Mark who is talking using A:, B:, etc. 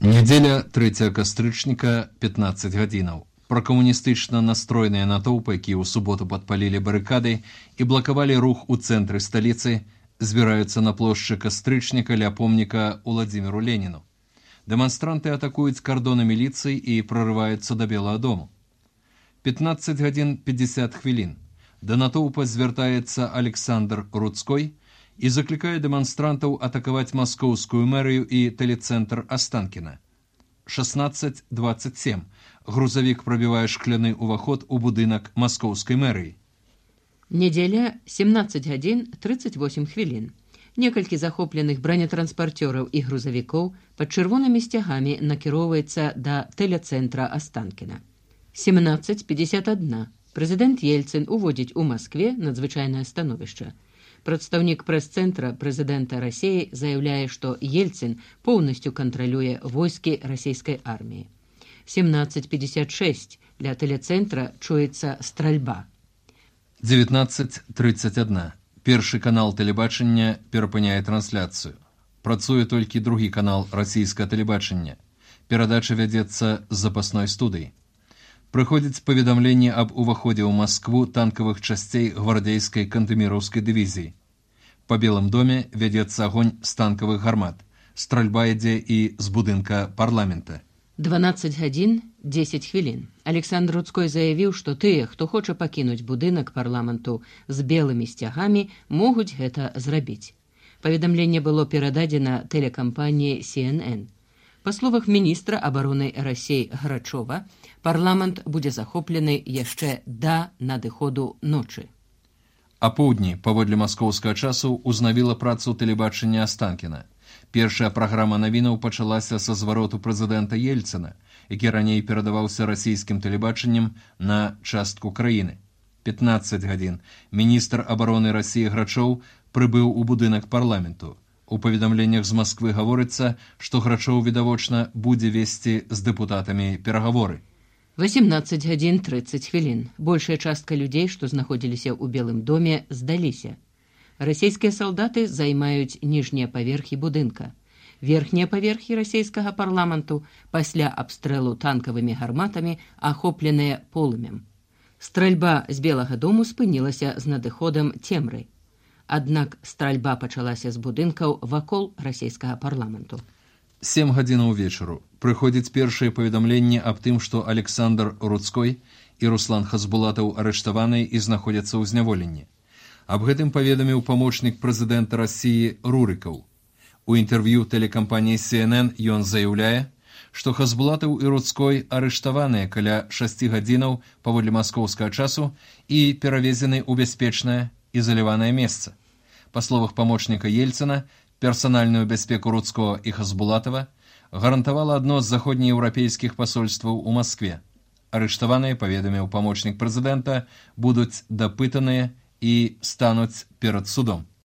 A: Нядзеля 3 кастрычніка 15 гадзінаў. Пракамуністычна настроеныя натоўпы, якія ў суботу падпалілі барыкады і блакавалі рух у цэнтры сталіцы, збіраюцца на плошчы кастрычніка ля помніка Уладзіміру Леніну. Дэманстранты атакуюць кардоны міліцыі і прорываюцца да Белага дому. 15 гадзін 50 хвілін. Да натоўпа звяртаецца Александр Руцкой і заклікае дэманстрантаў атакаваць маскоўскую мэрыю і тэлецэнтр Астанкіна. 16:27. Грузавік прабівае шкляны ўваход у будынак маскоўскай мэрыі.
B: Нядзеля 17 гадзін 38 хвілін. Некалькі захопленых бронетранспарцёраў і грузавікоў пад чырвонымі сцягамі накіроўваецца да тэлецэнтра Астанкіна. 17:51. Прэзідэнт Ельцын уводзіць у Маскве надзвычайнае становішча. Прадстаўнік прэс-цэнтра прэзідэнта Расіі заяўляе, што Ельцын поўнасцю кантралюе войскі расійскай арміі. 17:56. Ля тэлецэнтра чуецца стральба.
A: 19:31. Першы канал тэлебачання перапыняе трансляцыю. Працуе толькі другі канал расійскага тэлебачання. Перадача вядзецца з запасной студыі. Прыходзіць паведамленне аб уваходзе ў Маскву танкавых часцей гвардейскай кантэміраўскай дывізіі. Па Белым доме вядзецца агонь з танкавых гармат. Стральба ідзе і з будынка парламента.
B: 12 гадзін 10 хвілін. Александр Руцкой заявіў, што тыя, хто хоча пакінуць будынак парламенту з белымі сцягамі, могуць гэта зрабіць. Паведамленне было перададзена тэлекампаніяй CNN. Па словах міністра абароны Расіі Грачова, парламент будзе захоплены яшчэ да надыходу ночы.
A: Апоўдні, паводле маскоўскага часу, узнавіла працу тэлебачання Астанкіна. Першая праграма навінаў пачалася са звароту прэзідэнта Ельцына, які раней перадаваўся расійскім тэлебачаннем на частку краіны. 15 гадзін. Міністр абароны Расіі Грачоў прыбыў у будынак парламенту. У паведамленнях з Масквы гаворыцца, што Грачоў, відавочна, будзе весці з дэпутатамі перагаворы.
B: 18 гадзін 30 хвілін. Большая частка людзей, што знаходзіліся ў Белым доме, здаліся. Расійскія салдаты займаюць ніжнія паверхі будынка. Верхнія паверхі расійскага парламенту пасля абстрэлу танкавымі гарматамі ахопленыя полымем. Стральба з Белага дому спынілася з надыходам цемры. Аднак стральба пачалася з будынкаў вакол расійскага парламенту.
A: 7 гадзінаў вечару. Прыходзіць першае паведамленне аб тым, што Александр Руцкой і Руслан Хасбулатаў арыштаваныя і знаходзяцца ў зняволенні. Аб гэтым паведаміў памочнік прэзідэнта Расіі Рурыкаў. У інтэрв'ю тэлекампаніі CNN ён заяўляе, што Хасбулатаў і Руцкой арыштаваныя каля 6 гадзінаў паводле маскоўскага часу і перавезены ў бяспечнае ізаляванае месца. Па словах памочніка Ельцына, персанальную бяспеку Руцкого і Хасбулатава гарантавала адно з заходнееўрапейскіх пасольстваў у Маскве. Арыштаваныя, паведаміў памочнік прэзідэнта, будуць дапытаныя і стануць перад судом.